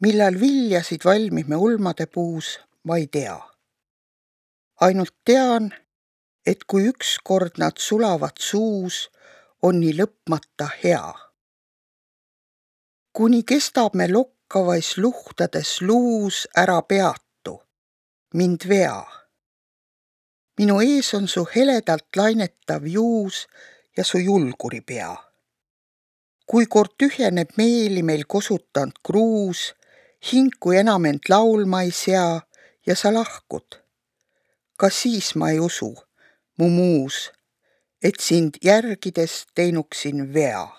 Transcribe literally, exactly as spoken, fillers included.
Millal viljasid valmib me ulmade puus, ma ei tea. Ainult tean, et kui ükskord nad sulavad suus, on nii lõpmata hea. Kuni kestab me lokkavais luhtades luus ära peatu, mind vea. Minu ees on su heledalt lainetav juus ja su julguri pea. Kui kord tühjeneb meeli meil kosutant kruus, hinku enam end laulma ei sea ja sa lahkud. Ka siis ma ei usu, mu muus, et sind järgides teinuksin vea.